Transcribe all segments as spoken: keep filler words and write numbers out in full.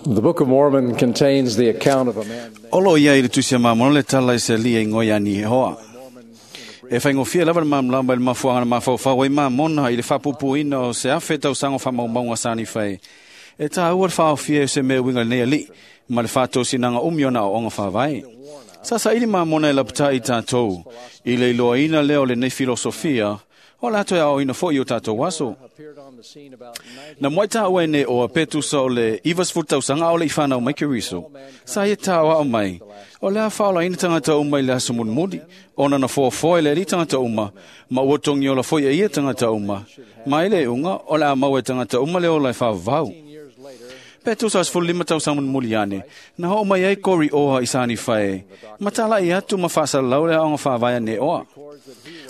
The Book of Mormon contains the account of a man named Olo ia i le tusi a mamona le tala i se lia i ngoi ani hoa. E whaingofia lava le mamlamba i le mafuanga na mafaufau ai mamona i le whapupuina o se afe tausango whamaumaunga sani whai. E tā ua le whaofia e se mea winga nei ali, ma le whātōsinanga umiona o onga whawai. Sasa ili mamona e lapata i tātou, i le iloa leo le nei filosofia, o lato e ao ina fo i o tātou waso. appeared on the scene about ninety Na mwai tā ue ne o a petusa o le ivas fu tausanga o le i whanau mai keriso. Sa ia tā o mai. O lea whaola ina tangata uma i le aso munmudi. Ona na fō le ri tangata uma. Ma ua tongi o la foi e ia tangata uma. Ma ile unga o le a mau e tangata uma le o la e whaavau. years later, Petusa as fulu lima tausa munmuli ane. Na ho mai ai kori oha i sani whae. Matala i atu ma whaasa lau le aonga whaavaia ne oa.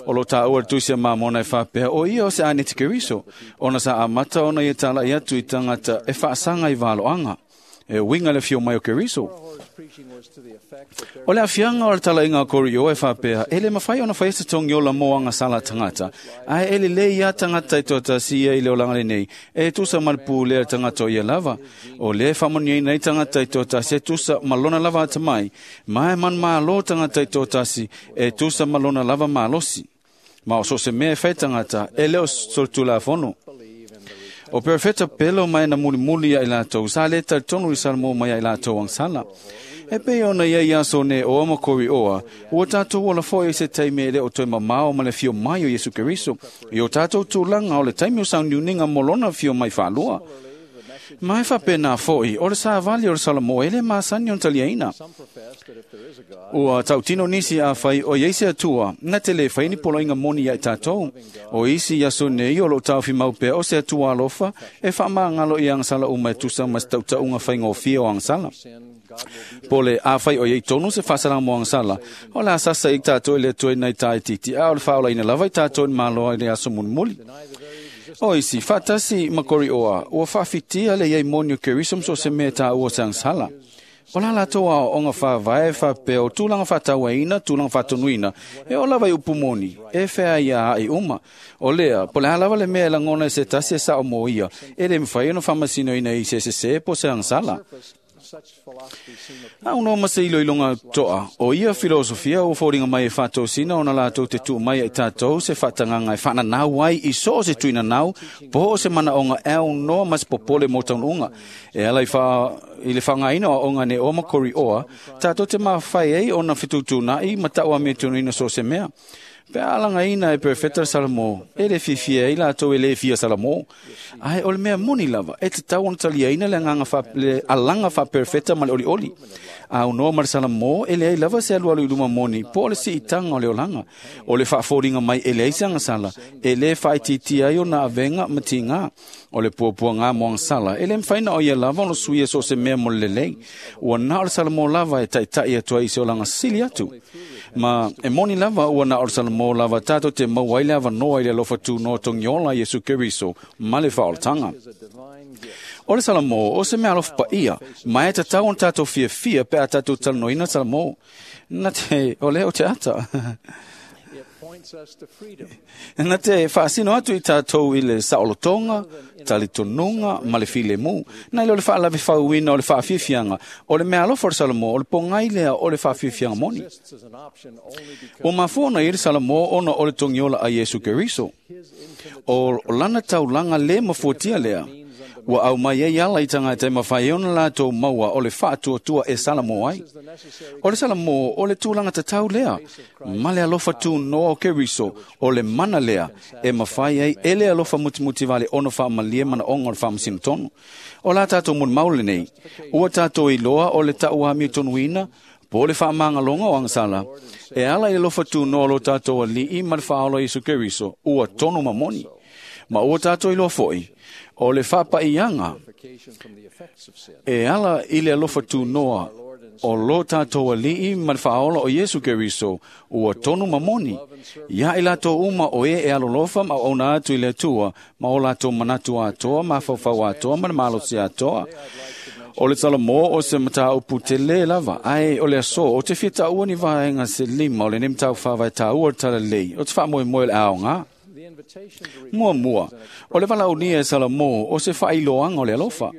O lo tā ua tusia mā mona e whapea o ia o se ane te keriso. Ona sa amata ona i tala i atu i tangata e whaasanga i valoanga. E winga le fio mai o keriso. Korihor's preaching was to the effect that there O le afianga o le tala inga kori o e whapea, ele mawhai ona whai se tongi o la moanga sala tangata. Ai ele le ia tangata i tōta si ia i le olanga le nei. E tusa malpū le tangata o ia lava. O le whamoni nei tangata i tōta si e tusa malona lava ata mai. Mai man malo tangata i tōta si e tusa malona lava malosi. Ma o so se mea e whai tangata, e leo soltula fono. believe in the O perfeta pelo mai na muli muli ia i lātou, sa le tonu i salmo mai ia i lātou ang sala. E pe ona ia ia so ne o ama kori oa, ua tātou ola foi i se taime le o toi mamao ma le fio mai o Yesu Keriso, i o tātou tūlanga o le taimi o sau niuninga molona fio mai whālua. Mai whapena foi, o le sa vali o le Salamo, ele masani o taliaina. Some profess that if there is a God, Ua tautino nisi a whai o yeise atua, na te le whai ni polo inga moni ia i tātou. O isi ia so nei o lo taufi maupea o se atua alofa, e wha ngalo i angsala uma e tusa mas tautaunga whai ngōfia o angsala. sin, God will be Po le a whai o iei tonu se whasara mo angsala. O la sasa i tātou i le tue nei tā i titi, a o le whaola ina lava i tātou i maloa i le aso munmuli. deny the very existence O isi, whatasi makori oa, ua whawhitia le iei moni o kerisom so se mea tā ua se angsala. O la lato a onga whavae whapea o tūlanga whātauaina, tūlanga whātonuina, e o lava i upumoni, e whea ia a i uma. O lea, po le halawa le mea e langona e se tasi e sa o mo ia, e le mwhai ono whamasino ina i se se se po se angsala. surface, such philosophy seem A uno ma se ilo ilonga toa, o ia filosofia o fōringa mai e whātōsina o na lātou te tū mai e tātou se whatanganga e whananau ai i so o se tuina nau, po o se mana onga e au noa mas popole mō taun unga. E ala i, wha, i le whangaina o onga ne o makori oa, tātou te mawhai ei o na whitūtū i matau a me tunuina so se mea. Pe alanga ina e perfecta Salamo, e le fifi e lātou e le fia Salamo. Ai o le mea moni lava, e te tau ona talia ina le, anganga fa, le alanga fa perfecta ma le oli oli. A unoa ma le Salamo, e le ai lava se alu alu i luma moni, po o le si itanga o le olanga. O le whaaforinga mai e le ai se sala, e le whaititia ai o na avenga ma tinga. O le puapua ngā moang sala, e le mwhaina o ia lava ono suia so se mea mo le lelei. Ua na o le Salamo lava e taitai atua i se olanga sili atu. Ma e moni lava ua na o le Salamo lava tātou te mau ai le ava noa i le alofa tū noa tongiola Yesu Keriso, ma le whaoltanga. is a divine gift. O le Salamo, o se mea alofa pa ia, ma e tatau on tātou fia fia pe a tātou talanoina Salamo. Na te, o leo te ata. It points us to freedom, Na te whaasino atu i tātou i le saolotonga, talitonunga, ma le file mu. Na ile o le whaalawe whauina o le whaafifianga, o le mea alofa o le Salamo, o le pongai lea o le whaafifianga moni. exists as an option only because O mafuona i le Salamo ona o le tongiola a Yesu Keriso. his infinite O lana taulanga le mafuatia lea. Ua au mai ei ala i tangata e mawhai ona lātou maua o le whaatuatua e Salamo ai. is the necessary O le Salamo, o le tūlanga tatau lea. Ma le alofa tū noa o Keriso, o le mana lea, e mawhai ai e le alofa mutimuti vale ono whaamalie mana onga o le whaamasino tonu. O la tātou mun maule nei, ua tātou i loa o le tau ami tonuina, po le whaamangalonga o angsala, e ala i le alofa tū noa lo tātou ali'i ma le whaolo Yesu Keriso, ua tonu mamoni. Ma ua tātou i loa foi, o le whapaianga, purification from the effects of sin. e ala i le alofa tū noa o lo tātou ali'i ma le whaola o Yesu Keriso, ua tonu mamoni. Ia i lātou uma o e e alolofa ma ona atu i le atua, ma o lātou manatu atoa, ma whawhau atoa, ma le malosi atoa. O le Salamo o se matau putele lava, ai o le aso, o te whita ua ni vaenga se lima, o le nem tau whawai tā ua tala lei, o te wha moe le aonga. The invitation to Mua mua, o le valaunia e Salamo o se whailoanga o le alofa.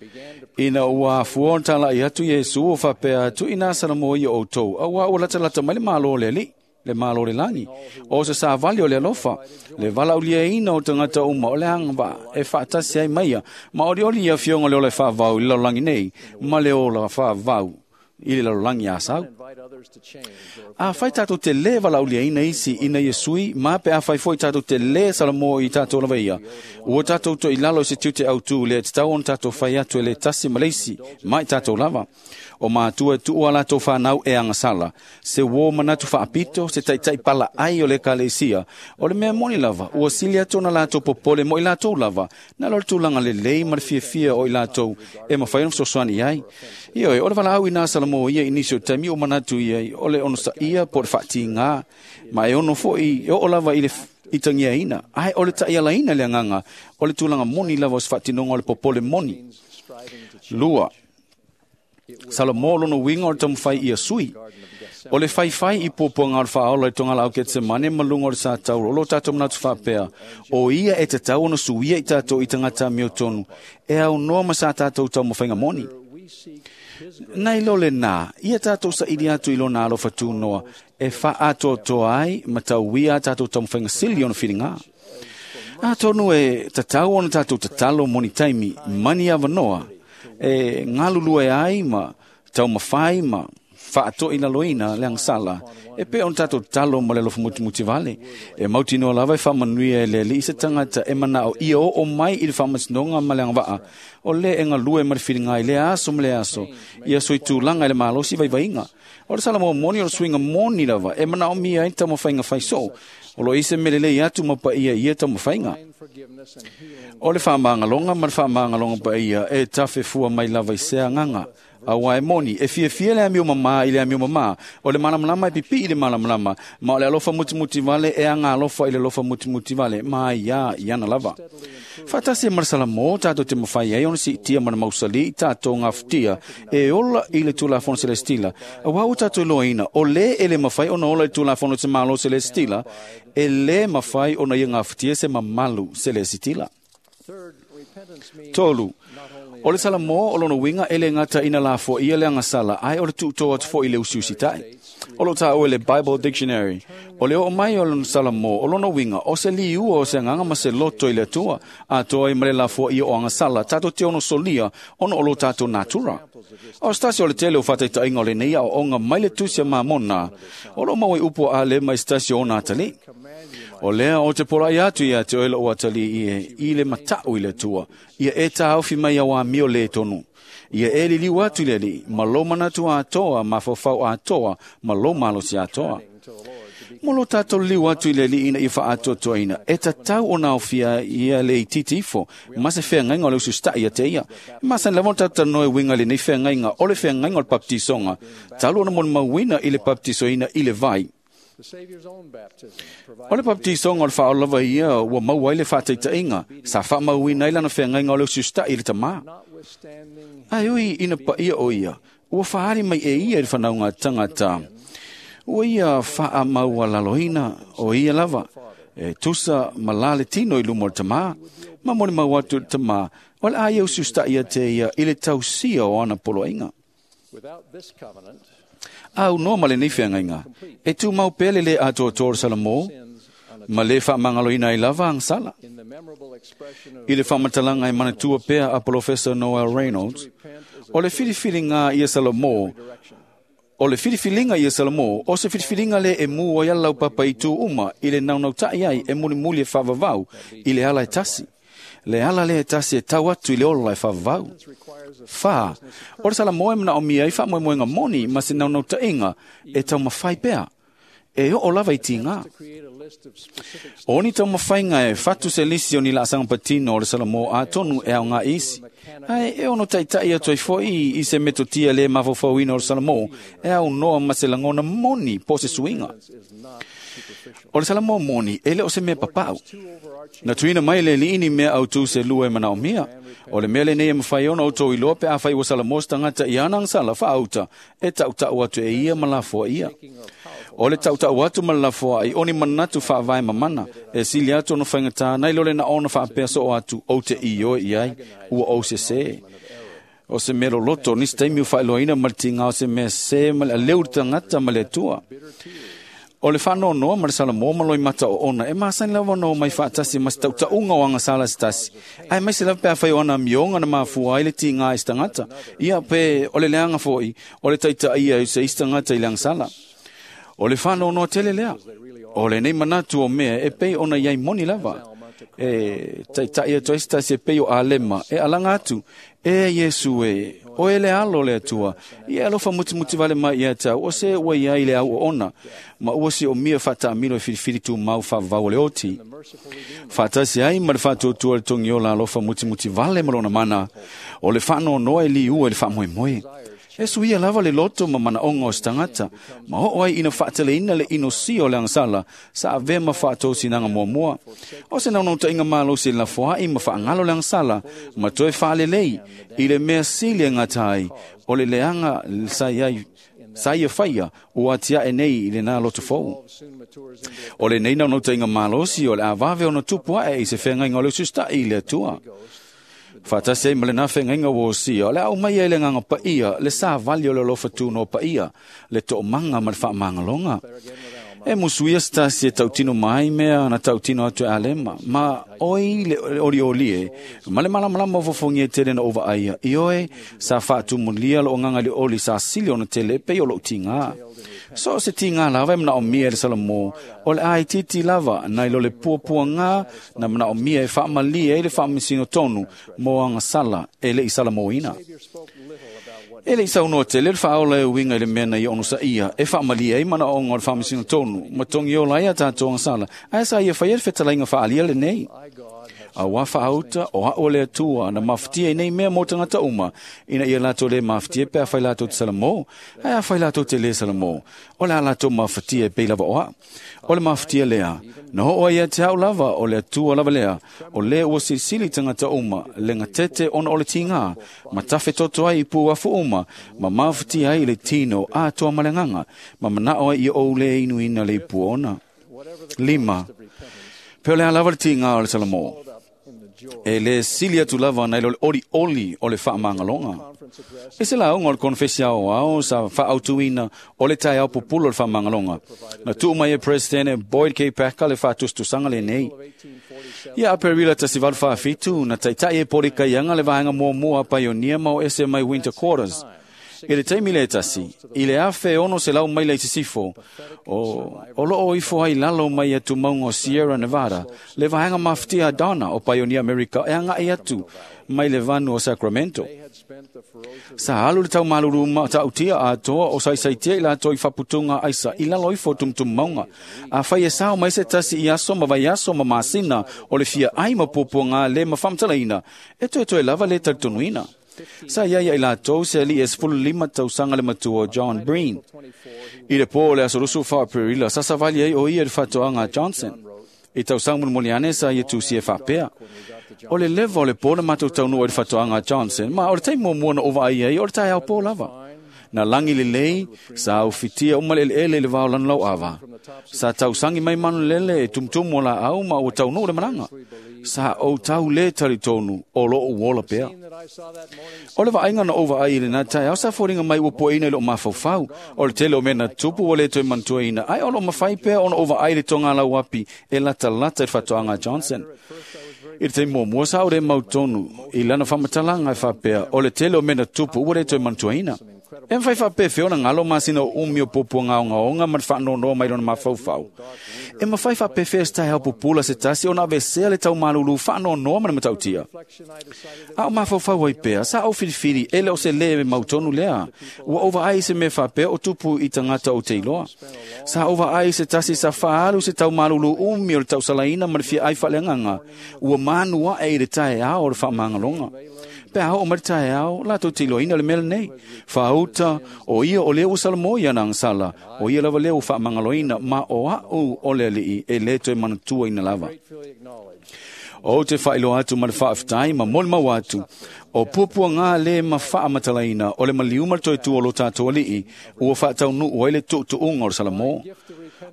began to Ina ua afua ona tala'i atu Iesu o faapea atu ina Salamo ia outou, auā ua latalata mai le Malo o le Alii, le Malo o le lagi. O se savali o le alofa, le valaauliaina o tagata uma o le agavaa e faatasi ai maia, ma olioli ia afioga o le ola e faavau i le lalolagi nei, ma le ola faavau i le lalolagi asau. Invite others to change or Afai tatou te lē valaauliaina isi ina ia sui, ma pe afai foi tatou te lē Salamo i tatou lava ia, ua tatou toʻilalo i se tiute autū lea e tatau ona tatou fai atu e le tasi ma le isi, ma i tatou lava. O matua e tuua a latou fanau e agasala, se uō manatu faapito, se taʻitaʻi palaai o le ekalesia. O le mea moni lava, ua sili atu ona latou popole mo i latou lava, na lo le tulaga lelei ma le fiafia o i latou e mafai ona fesoasoani i ai. Ioe, o le valaau ina Salamo ia i nisi o taimi o manatu i ai, o le onosaia po o le faatigā, ma e ono foʻi e oo lava i le itagiaina, ae o le taʻialaina le agaga, o le tulaga moni lava o se faatinoga o le popole moni. striving to change. Lua, Salamo lona uiga o le taumafai ia sui. O le faifai i puapuaga o le faaola i togalaau Ketsemane ma luga o le sa tauro, o lo tatou manatu faapea, o ia e tatau ona suia i tatou i tagata amiotonu, e aunoa ma sa tatou taumafaiga moni. We seek his grace Nai lo lenā, ia tatou saili atu i lona alofa tunoa, e faaatoatoa ai ma tauia a tatou taumafaiga sili ona filigā. Atonu e tatau ona tatou tatalo moni taimi, mani avanoa, e galulue ai ma taumafai ma faatoʻilaloina le agasala, e pei ona tatou tatalo ma le alofa mutimuti vale. E mautinoa lava e faamanuia e le Alii se tagata e manao ia oo mai i le faamasinoga ma le agavaa, o lē e galue ma le filiga i lea aso ma le aso, ia soitulaga i le malosi vaivaiga. O le Salamo moni o le suiga moni lava e manaomia ai le taumafaiga faisoo, o lo o i se mea lelei atu ma paia i ia taumafaiga. forgiveness and healing O le faamagaloga ma le faamagaloga paia e tafefua mai lava i se agaga. Auā e moni, e fiafia le amio mamā i le amio mamā, o le malamalama e pipii i le malamalama, ma o le alofa mutimuti vale e aga alofa i le alofa mutimuti vale, ma ai i ana lava. Faatasi e ma le Salamo tatou te mafai ai ona siitia ma le mausali i tatou gafatia e ola i le Tulafono Selestila. Auā ua tatou iloaina, o lē e le mafai ona ola i le Tulafono se Malo Selestila, e lē mafai ona ia gafatia se mamalu selesitila. Third, repentance means Tolu, not only o le Salamo o lona uiga e le gata ina lafoaia le agasala, ae o le tuutō atu foʻi i le usiusitaʻi. O lo taua i le Bible Dictionary, o le oo mai o lona Salamo o lona uiga o se liua o se agaga ma se loto i le Atua, atoa ai ma le lafoaia o agasala tatou te ono solia ona o lo tatou natura. O se tasi o le tele o faataitaiga o lenei aoaoga mai le tusi a Mamona, o lo maua i upu a Alema i se tasi o ona atalii. command you, my O lea o te polaʻi atu ia te oe lou atalii e i le mataʻu i le Atua, ia e taofi mai au amio lē tonu. Ia e liliu atu i le Alii, ma lou manatu atoa, mafaufau atoa, ma lou malosi atoa. to the Lord to be Mo lo tatou liliu atu i le Alii ina ia faaatoatoaina, e tatau ona aofia ia le itiiti ifo, ma se feagaiga o le usiusitaʻi ia te ia. E masani lava ona tatou talanoa e uiga i lenei feagaiga, o le feagaiga o le papatisoga, talu ona molimauina i le papatisoina i le vai. the Savior's own baptism O le provided papatisoga o le faaola lava ia ua maua ai le faataitaiga, sa faamauina ai lana feagaiga o le usiusitaʻi i le tamā. notwithstanding Ae ui ina paia o ia, ua faali mai e ia i le fanauga tagata. Ua ia faamaualaloina o ia lava, e tusa ma la le tino i luma o le tamā, ma molimau atu i le tamā, o le a ia usiusitaʻi ia te ia i le tausia o ana poloaiga. without this covenant Au noa ma lenei feagaiga, e tumau pea le lē atoatoa o le Salamo, sins on a, ma lē faamagaloina ai lava agasala. in the memorable expression of I le faamatalaga e manatua pea a Polofesa Noel Reynolds, repent is a o le filifiliga ia Salamo, direction o le filifiliga ia Salamo, o se filifiliga lē e mu ai ala laupapa i tu uma i le naunautaʻi ai e mulimuli e faavavau i le ala e tasi. Le ala lea e tasi e tau atu i le ola e faavavau. requires a Fa, o le Salamo e manaomia ai faamoemoega moni ma se naunautaiga e taumafai pea. E oo lava i tigā. to create a list of specific O ni taumafaiga e fatu se lisi o ni laasaga patino o le Salamo atonu e aoga isi. Ae e ono taʻitaʻi atu ai foʻi i se metotia lē mafaufauina o le Salamo e aunoa ma se lagona moni po o se suiga. is not superficial. O le Salamo moni e le o se mea papaʻu. Two overarching Na tuuina mai le Alii ni mea autū se lua e manaomia. O le mea lenei e mafai ona outou iloa pe afai ua Salamo se tagata i ana agasala faaauta e taʻutaʻu atu e ia ma lafoa ia. O le taʻutaʻu atu ma le lafoaʻi o ni manatu faavae mamana, e sili atu ona faigatā nai lo le na ona faapea soo atu ou te ioe i ai, ua ou sesē. O se mea loloto, nisi taimi ua faailoaina ma le tigā o se mea sē ma le aleu i le tagata ma le Atua. O le faanoanoa ma le salamo ma loimata oona e masani lava ona omai faatasi ma se tautauga o agasala se tasi, aemaise lava pe afai o ana amioga na mafua ai le tigā i se tagata, ia pe o le leaga foʻi o le taitaʻia i se isi tagata i le agasala. O le faanoanoa tele lea. O lenei manatu o mea e pei ona iai moni lava. E taitaʻi atu ai se tasi e pei o Alema e alaga atu, e Iesu e, o e le alo le Atua, ia e alofa mutimuti vale mai ia te au, o se ua iai le au oona, ma ua siomia faataamilo e filifili tumau faavavau o le oti. Faatasi ai ma le faatuatua le togiola alofa mutimuti vale ma lona mana, o le faanoanoa e liua i le faamoemoe. E suia lava le loto ma manaoga o se tagata, ma oo ai ina faateleina le inosia o le agasala, sa avea ma faatosinaga muamua. O se naunautaiga malosi e lafoaʻi ma faagalo le agasala, ma toe faalelei i le mea sili e gata ai, o le leaga sa iai sa ia faia ua atiaʻe nei i lenā loto fou. O lenei naunautaiga malosi o le a vave ona tupu aʻe i se feagaiga o le ususitaʻi i le Atua. Faatasi ai ma lenā feagaiga ua osia, o le a aumai ai le Agaga Paia, le savali o le alofa tunoa paia, le toomaga ma le faamagaloga. E musuia se tasi e tautino mai mea na tautino atu e Alema, ma oi le olioli e, ma le malamalama o fofogia tele na ou vaaia, ioe sa faatumulia loo agaga i le oli sa sili ona tele e pei o lou tigā. So o se tigā lava e manaomia e le Salamo, o le a itiiti lava nai lo le puapuagā na manaomia e faamalie ai le faamasino tonu mo agasala e leʻi salamoina. E leʻi saunoa tele le faaola e uiga i le mea na ia onosaʻia e faamalie ai manaoga o le faamasino tonu ma togiola ai a tatou agasala, ae sa ia faia le fetalaiga faaalia lenei. Auā faauta o aʻu o le Atua na mafatia i nei mea mo tagata uma, ina ia latou lē mafatia pe afai latou te salamo, ae afai latou te lē salamo, o le a latou mafatia e pei lava o aʻu. O le mafatia lea, na oo ai ia te aʻu lava o le Atua lava lea, o lē ua silisili i tagata uma, le gatete ona o le tigā, ma tafetoto ai i puafu uma, ma mafatia ai i le tino atoa ma le agaga, ma manaʻo ai ia ou lē inuina le ipu ona. Lima, pe o le a lava le tigā o le Salamo, e lē sili atu lava nai lo le olioli o le faamagaloga. I se lauga o le konefesi aoao sa faaautuina o le taeao pupula o le faamagaloga, na tuu mai e Presidente Boyd K. Packer le faatusatusaga lenei. Ia Aperila tasi valu faafitu na taitaʻi e polikaiaga le vaega muamua a paionia ma o ese mai Winter Quarters. I le taimi le tasi, i le afe ono selau maila i sisifo, o, o loo ifo ai lalo mai atu mauga o Sierra Nevada, le vaega mafatia a Donna o Pioneer America e agaʻi atu mai le vanu o Sacramento. Sa alu le taumalulu matautia atoa o saisaitia i latou i faputuga aisa i lalo ifo o tumutumu mauga. Afai e sao mai se tasi i aso ma vaiaso ma masina o le fiaʻai ma puapuagā le ma faamatalaina, e toetoe lava le talitonuina. Sa iai ia i latou se aliʻi e sefulu lima tausaga le matua o John Breen. I le pō o le aso luasulu fa o Aperila, sa savali ai o ia i le faatoaga a Johnson. I tausaga mulimuli ane sa ia tusi e faapea, O le leva o le pō na matou taunuu ai i le faatoaga a Johnson, ma o le taimi muamua na ou vaai ai o le taeao pō lava. Na lagi lelei, sa aufitia uma le eleele i le vao lanolauava. Sa tausagi mai manulele e tumutumu o laau ma ua taunuu le malaga. Sa ou tau lē talitonu o loo ola pea. O le vaaiga na ou vaai i lenā taeao sa foliga mai ua puaina i loo mafaufau. O le tele o mea na tupu ua lē toe manatuaina, ae o loo mafai pea ona ou vaai i le togalau api e latalata i le faatoaga a Johnson. I le taimi muamua sa ou lē mautonu i lana faamatalaga e faapea, o le tele o mea na tupu ua lē toe manatuaina. E mafai faapefea ona galo masina o umi o puapuagaogaoga ma le faanoanoa mai lona mafaufau. E mafai faapefea se taeao pupula se tasi ona avesea le taumalulu faanoanoa ma le matautia. A o mafaufau ai pea, sa ou filifili e le o se lē mautonu lea. Ua ou vaai i se mea faapea o tupu i tagata ou te iloa. Sa ou vaai i se tasi sa faaalu se taumalulu umi o le tausalaina ma le fiaʻai faaleagaga. Ua manu aʻe i le taeao o le faamagaloga. Pe a oo mai le taeao, latou te iloaina le mea lenei. Faauta, o ia o lea ua salamo i ana agasala, o ia lava lea ua faamagaloina, ma o aʻu o le Alii e lē toe manatuaina lava. Ou te faailoa atu ma le faafetai ma molimau atu, o puapuagā lē ma faamatalaina o le maliu ma le toetua o lo tatou Alii, ua faataunuu ai le tuutuuga o le Salamo.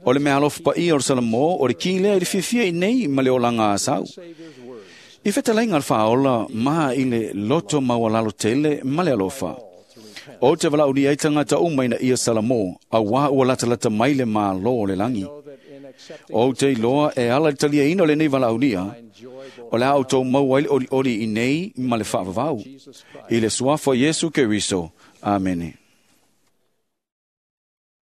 O le meaalofa paia o le Salamo, o le ki lea i le fiafia i nei ma le olaga asau. I fetalaiga a le Faaola ma i le loto maualalo tele ma le alofa. O te valaaulia ai tagata uma ina ia salamo, auā ua latalata mai le Malo o le lagi. Know that in accepting Ou te iloa e ala i le taliaina o lenei valaaulia, joy o le a outou maua ai le olioli i nei ma le faavavau. Jesus Christ. I le suafa o Iesu Keriso. Amene.